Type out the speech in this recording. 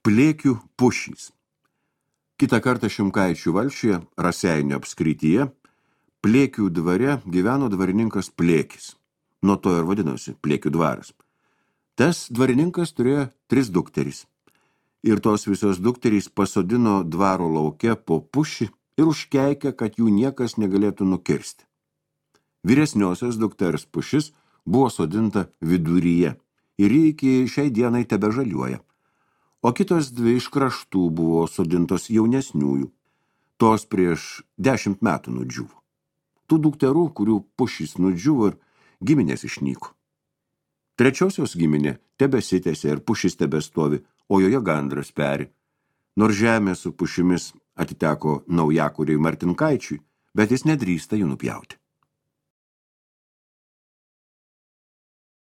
Plėkių pušys. Kitą kartą Šimkaičių valsčiuje, Raseinių apskrityje, Plėkių dvare gyveno dvarininkas Plėkis. Nuo to ir vadinosi Plėkių dvaras. Tas dvarininkas turėjo 3 dukterys. Ir tos visos dukterys pasodino dvaro lauke po pušį ir užkeikė, kad jų niekas negalėtų nukirsti. Vyresniosios dukters pušis buvo sodinta viduryje ir ji iki šiai dienai tebežaliuoja. O kitos 2 iš kraštų buvo sodintos jaunesniųjų. Tos prieš 10 metų nudžiuvo. Tų dukterų, kurių pušys nudžiuvo ir giminės išnyko. Trečiosios giminė tebesitęsė ir pušis tebestovi, o joje gandras peri. Nors žemė su pušimis atiteko naujakuriai Martinkaičiui, bet jis nedrįsta jų nupjauti.